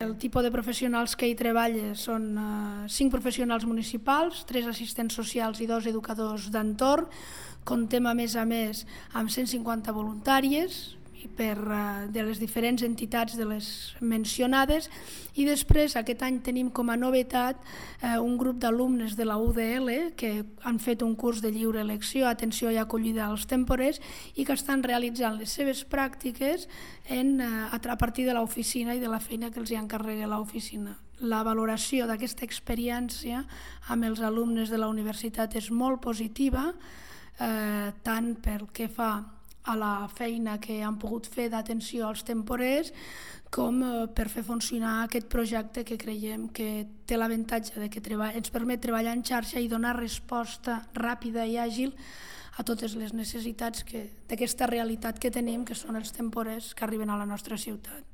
El tipus de professionals que hi treballa són 5 professionals municipals, 3 assistents socials i 2 educadors d'entorn. Comptem a més amb 150 voluntàries de les diferents entitats de les mencionades, i després aquest any tenim com a novetat un grup d'alumnes de la UDL que han fet un curs de lliure elecció, atenció i acollida als temporers, i que estan realitzant les seves pràctiques a partir de l'oficina i de la feina que els encarrega l'oficina. La valoració d'aquesta experiència amb els alumnes de la universitat és molt positiva, tant pel que fa a la feina que han pogut fer d'atenció als temporers, com per fer funcionar aquest projecte que creiem que té l'avantatge de que ens permet treballar en xarxa i donar resposta ràpida i àgil a totes les necessitats d'aquesta realitat que tenim, que són els temporers que arriben a la nostra ciutat.